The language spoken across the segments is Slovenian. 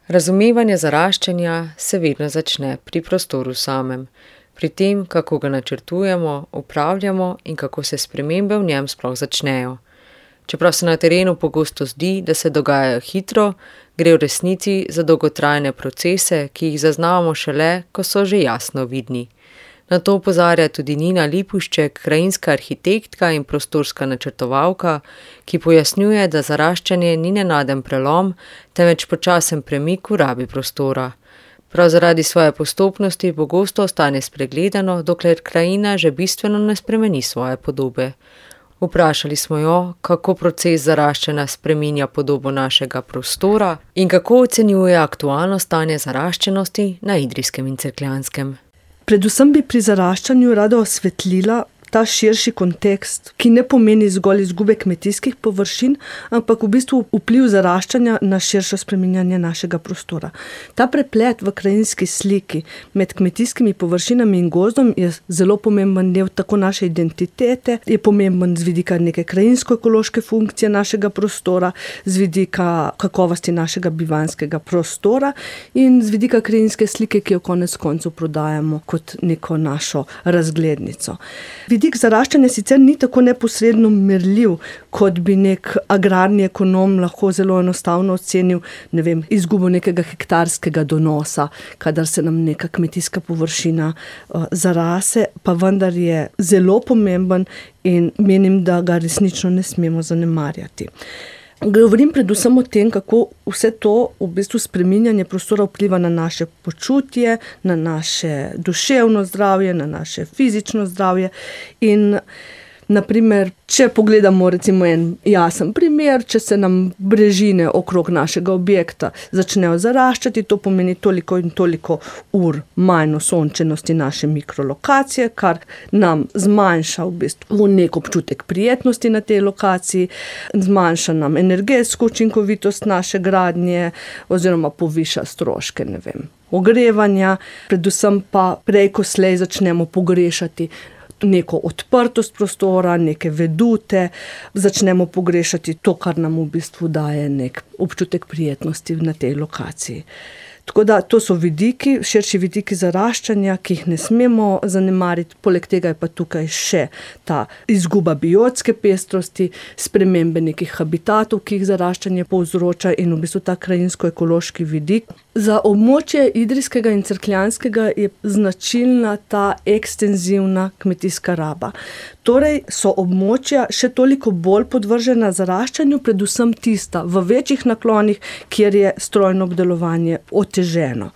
Razumevanje zaraščanja se vedno začne pri prostoru samem, pri tem, kako ga načrtujemo, upravljamo in kako se spremembe v njem sploh začnejo. Čeprav se na terenu pogosto zdi, da se dogajajo hitro, gre v resnici za dolgotrajne procese, ki jih zaznavamo šele, ko so že jasno vidni. Na to opozarja tudi Nina Lipušček, krajinska arhitektka in prostorska načrtovalka, ki pojasnjuje, da zaraščanje ni nenaden prelom, temveč počasen premik v rabi prostora. Prav zaradi svoje postopnosti pogosto ostane spregledano, dokler krajina že bistveno ne spremeni svoje podobe. Vprašali smo jo, kako proces zaraščanja spreminja podobo našega prostora in kako ocenjuje aktualno stanje zaraščenosti na Idrijskem in Cerkljanskem. Predvsem bi pri zaraščanju rada osvetlila ta širši kontekst, ki ne pomeni zgolj izgube kmetijskih površin, ampak v bistvu vpliv zaraščanja na širše spreminjanje našega prostora. Ta preplet v krajinski sliki med kmetijskimi površinami in gozdom je zelo pomemben del tako naše identitete, je pomemben z vidika neke krajinsko-ekološke funkcije našega prostora, z vidika kakovosti našega bivanjskega prostora in z vidika krajinske slike, ki jo konec koncev prodajamo kot neko našo razglednico. Vidik zaraščanja sicer ni tako neposredno merljiv, kot bi nek agrarni ekonom lahko zelo enostavno ocenil, izgubo nekega hektarskega donosa, kadar se nam neka kmetijska površina zarase, pa vendar je zelo pomemben in menim, da ga resnično ne smemo zanemarjati. Govorim predvsem o tem, kako vse to v bistvu spreminjanje prostora vpliva na naše počutje, na naše duševno zdravje, na naše fizično zdravje in naprimer, če pogledamo recimo en jasen primer, če se nam brežine okrog našega objekta začnejo zaraščati, to pomeni toliko in toliko ur manj osončenosti naše mikrolokacije, kar nam zmanjša v bistvu nek občutek prijetnosti na tej lokaciji, zmanjša nam energetsko učinkovitost naše gradnje oziroma poviša stroške, ogrevanja, predvsem pa prej ko slej začnemo pogrešati neko odprtost prostora, neke vedute, začnemo pogrešati to, kar nam v bistvu daje nek občutek prijetnosti na tej lokaciji. Tako da to so vidiki, širši vidiki zaraščanja, ki jih ne smemo zanemariti, poleg tega je pa tukaj še ta izguba biotske pestrosti, spremembe nekih habitatov, ki jih zaraščanje povzroča in v bistvu ta krajinsko-ekološki vidik. Za območje Idrijskega in Cerkljanskega je značilna ta ekstenzivna kmetijska raba. Torej so območja še toliko bolj podvržena zaraščanju, predvsem tista v večjih naklonih, kjer je strojno obdelovanje oteženo.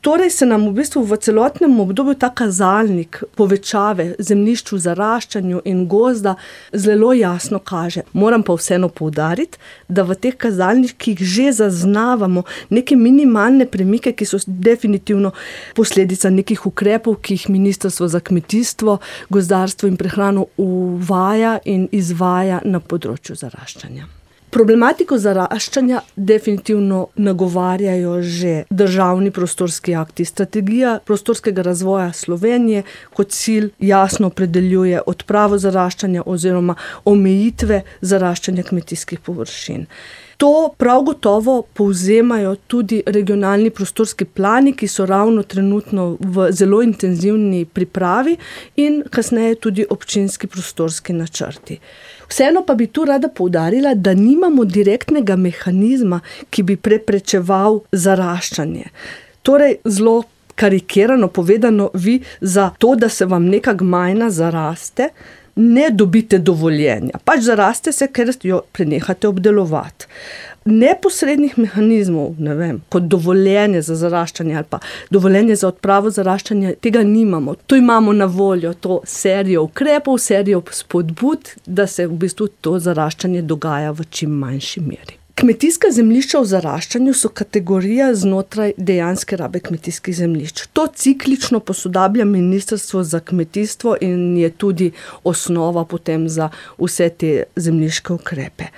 Torej se nam v bistvu v celotnem obdobju ta kazalnik povečave zemljišč v zaraščanju in gozda zelo jasno kaže. Moram pa vseeno poudariti, da v teh kazalnikih že zaznavamo neke minimalne premike, ki so definitivno posledica nekih ukrepov, ki jih Ministrstvo za kmetijstvo, gozdarstvo in prehrano uvaja in izvaja na področju zaraščanja. Problematiko zaraščanja definitivno nagovarjajo že državni prostorski akti. Strategija prostorskega razvoja Slovenije kot cilj jasno opredeljuje odpravo zaraščanja oziroma omejitve zaraščanja kmetijskih površin. To prav gotovo povzemajo tudi regionalni prostorski plani, ki so ravno trenutno v zelo intenzivni pripravi in kasneje tudi občinski prostorski načrti. Vseeno pa bi tu rada poudarila, da nimamo direktnega mehanizma, ki bi preprečeval zaraščanje. Torej, zelo karikirano povedano, vi za to, da se vam neka gmajna zaraste, ne dobite dovoljenja. Pač zaraste se, ker jo prenehate obdelovati. Neposrednih mehanizmov, kot dovoljenje za zaraščanje ali pa dovoljenje za odpravo zaraščanja, tega nimamo. Tu imamo na voljo to serijo ukrepov, serijo spodbud, da se v bistvu to zaraščanje dogaja v čim manjši meri. Kmetijska zemljišča v zaraščanju so kategorija znotraj dejanske rabe kmetijskih zemljišč. To ciklično posodablja Ministrstvo za kmetijstvo in je tudi osnova potem za vse te zemljiške ukrepe.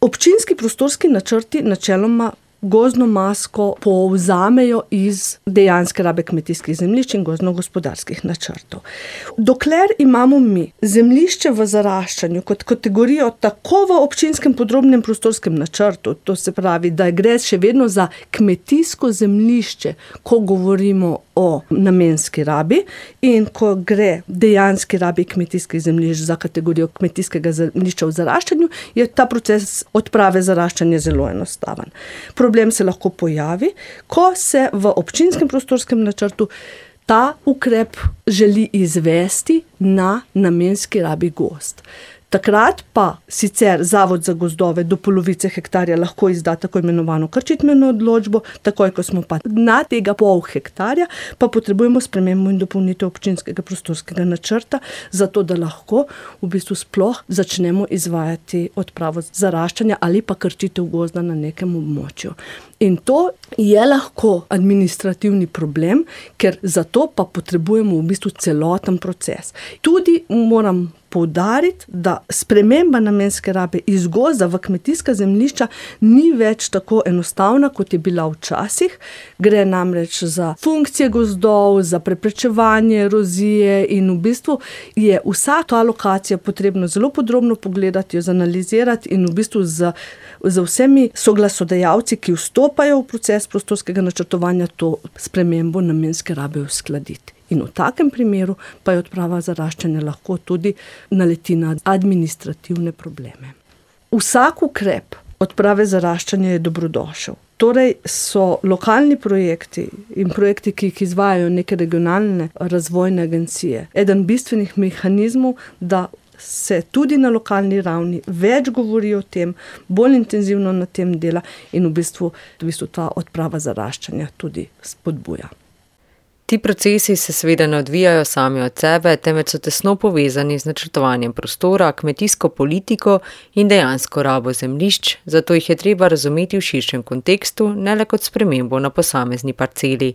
Občinski prostorski načrti načeloma gozdno masko povzamejo iz dejanske rabe kmetijskih zemljišč in gozdno-gospodarskih načrtov. Dokler imamo mi zemljišče v zaraščanju kot kategorijo tako v občinskem podrobnem prostorskem načrtu, to se pravi, da gre še vedno za kmetijsko zemljišče, ko govorimo o namenski rabi, in ko gre dejanski rabi kmetijskih zemljišč za kategorijo kmetijskega zemljišča v zaraščanju, je ta proces odprave zaraščanja zelo enostaven. Problem se lahko pojavi, ko se v občinskem prostorskem načrtu ta ukrep želi izvesti na namenski rabi gozd. Takrat pa sicer Zavod za gozdove do polovice hektarja lahko izda tako imenovano krčitveno odločbo, takoj ko smo pa na tega pol hektarja, pa potrebujemo spremembo in dopolnitev občinskega prostorskega načrta, zato da lahko v bistvu sploh začnemo izvajati odpravo zaraščanja ali pa krčitev gozda na nekem območju. In to je lahko administrativni problem, ker zato pa potrebujemo v bistvu celoten proces. Tudi moram poudariti, da sprememba namenske rabe iz gozda v kmetijska zemljišča ni več tako enostavna, kot je bila včasih. Gre namreč za funkcije gozdov, za preprečevanje erozije in v bistvu je vsa ta lokacija potrebno zelo podrobno pogledati, jo zanalizirati in v bistvu z vsemi soglasodajalci, ki vstopajo v proces prostorskega načrtovanja, to spremembo namenske rabe uskladiti. In v takem primeru pa je odprava zaraščanja lahko tudi naleti na administrativne probleme. Vsak ukrep odprave zaraščanja je dobrodošel. Torej so lokalni projekti in projekti, ki jih izvajajo neke regionalne razvojne agencije, eden bistvenih mehanizmov, da se tudi na lokalni ravni več govori o tem, bolj intenzivno na tem dela in v bistvu ta odprava zaraščanja tudi spodbuja. Ti procesi se seveda ne odvijajo sami od sebe, temveč so tesno povezani z načrtovanjem prostora, kmetijsko politiko in dejansko rabo zemljišč, zato jih je treba razumeti v širšem kontekstu, ne le kot spremembo na posamezni parceli.